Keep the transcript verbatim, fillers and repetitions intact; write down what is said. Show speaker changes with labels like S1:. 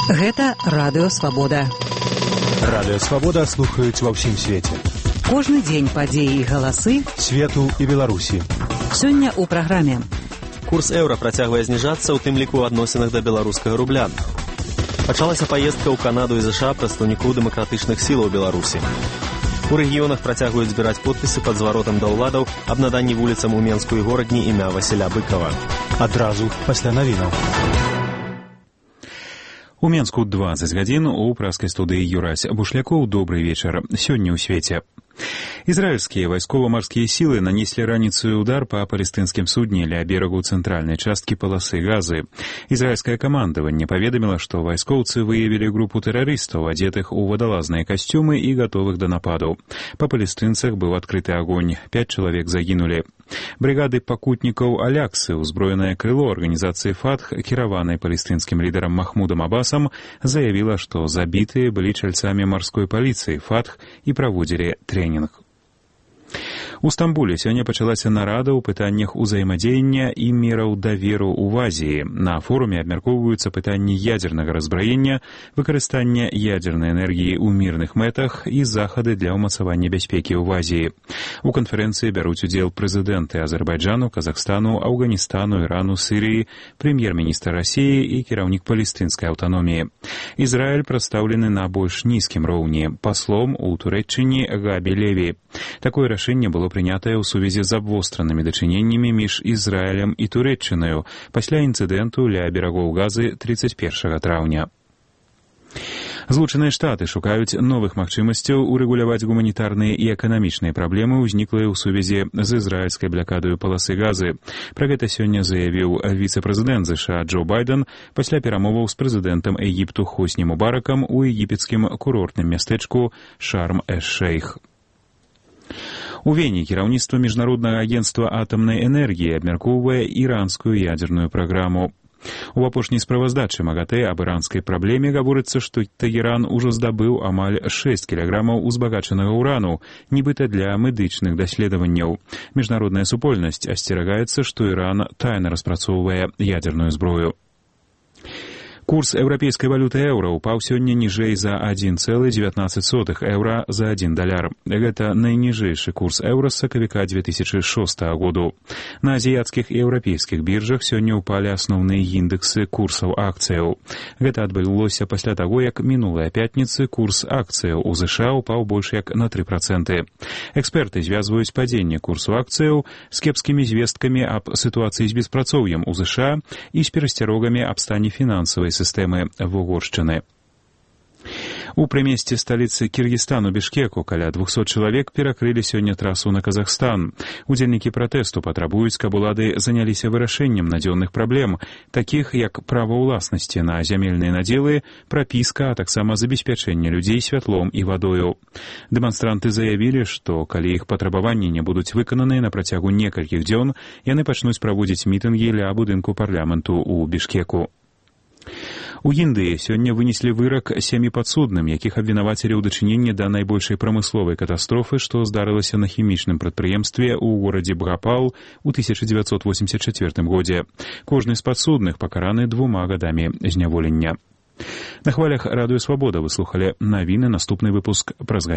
S1: Гэта Радыё Свабода.
S2: Радыё Свабода слухаюць ва ўсім свеце.
S1: Кожны дзень падзеі і галасы
S2: свету і Беларусі.
S1: Сёння ў праграме.
S3: Курс еўра працягвае зніжацца, у тым ліку ў адносінах да беларускага рубля. Пачалася паездка ў Канаду і ЗША прадстаўнікоў дэмакратычных сілаў Беларусі. У рэгіёнах працягваюць збіраць подпісы пад зваротам да ўладаў аб наданні вуліцам у Менску і горадні імя Васіля Быкава.
S2: Адразу пасля навінаў.
S4: У Менску дваццаць гадзін, у праскай студыі Юрась Бушлякоў. Добрый вечар. Сёння ў свеце. Израильские вайскова-марскія силы нанесли раніцаю удар по палестинским судне ля берегу центральной частки полосы Газы. Израильское командование поведомило, что вайскоўцы выявили группу террористов, одетых у водолазные костюмы и готовых до нападу. По палестинцах был открытый огонь. Пять человек загинули. Бригады пакутнікаў Аляксы, узброенное крыло организации Фатх, кіраванной палестинским лидером Махмудом Аббасом, заявила, что забитые были чальцами морской полиции Фатх и проводили тренинг. У Стамбуле сёння пачалася нарада ў пытаннях узаемадзеяння і мераў даверу ў Азіі. На форуме абмяркоўваюцца пытанні ядзернага разбраення, выкарыстання ядзернай энергіі ў мірных мэтах і захады для ўмацавання бяспекі ў Азіі. У канферэнцыі бяруць удзел прэзідэнты Азербайджану, Казахстану, Афганістану, Ірану, Сірыі, прэм'ер-міністр Расіі і кіраўнік палестынскай аўтаноміі. Ізраіль прадстаўлены на больш нізкім роўні, паслом у Турэччыне Габі Леві. Такое рашэнне было прынятае ў сувязі з абвостранымі дачыненнямі між Ізраілем і Турэччынаю пасля інцыдэнту ля берагоў Газы трыццаць першага траўня. Злучаныя Штаты шукаюць новых магчымасцяў урэгуляваць гуманітарныя і эканамічныя праблемы, ўзніклыя ў сувязі з ізраільскай блакадаю паласы Газы. Пра гэта сёння заявіў віцэ-прэзідэнт ЗША Джо Байден пасля перамоваў з прэзідэнтам Егіпту Хосні Мубаракам у егіпецкім курортным мястэчку Шарм-эш-Шейх. У Вене кіраўніцтва міжнароднага агенцтва атамнай энергіі абмяркоўвае іранскую ядзерную праграму. У апошняй справаздачы МАГАТЭ аб іранскай праблеме гаворыцца, што Тэгеран ужо здабыў амаль шэсць кілаграмаў узбагачанага ўрану, нібыта для медычных даследаванняў. Міжнародная супольнасць асцерагаецца, што Іран тайна распрацоўвае ядзерную зброю. Курс еўрапейскай валюты еўра упаў сёння ніжэй за адзін цэлы дзевятнаццаць сотых еўра за адзін даляр. Гэта найніжэйшы курс еўра з сакавіка дзве тысячы шостага году. На азіяцкіх і еўрапейскіх біржах сёння ўпалі асноўныя індэксы курсаў акцыяў. Гэта адбылося пасля таго, як мінулая пятніцы курс акцыяў у ЗША упаў больш як на тры працэнты. Эксперты звязваюць падзенне курсу акцыяў з кепскімі звесткамі аб сітуацыі з беспрацоўем у ЗША і з перасцярогамі аб стане фінансавай сістэмы Вугоршчыны. У прымесці сталіцы Кіргізстану Бішкеку каля двухсот чалавек перакрылі сёння трасу на Казахстан. Удзельнікі пратэсту патрабуюць, каб улады заняліся вырашэннем надзённых праблем, такіх як права ўласнасці на зямельныя надзелы, прапіска, а таксама забеспячэнне людзей святлом і вадою. Дэманстранты заявілі, што калі іх патрабаванні не будуць выкананыя на працягу некалькіх дзён, яны пачнуць праводзіць мітынгі ля будынку парламенту ў Бішкеку. У Індыі сёння вынеслі вырак сямі падсудным, якіх абвінавацілі ў дачыненні да найбольшай прамысловай катастрофы, што здарылася на хімічным прадпрыемстве ў горадзе Бхапал у тысяча дзевяцьсот восемьдесят четвёртым годзе. Кожны з падсудных пакараны двума гадамі зняволення. На хвалях Радыё Свабода вы слухалі навіны, наступны выпуск праз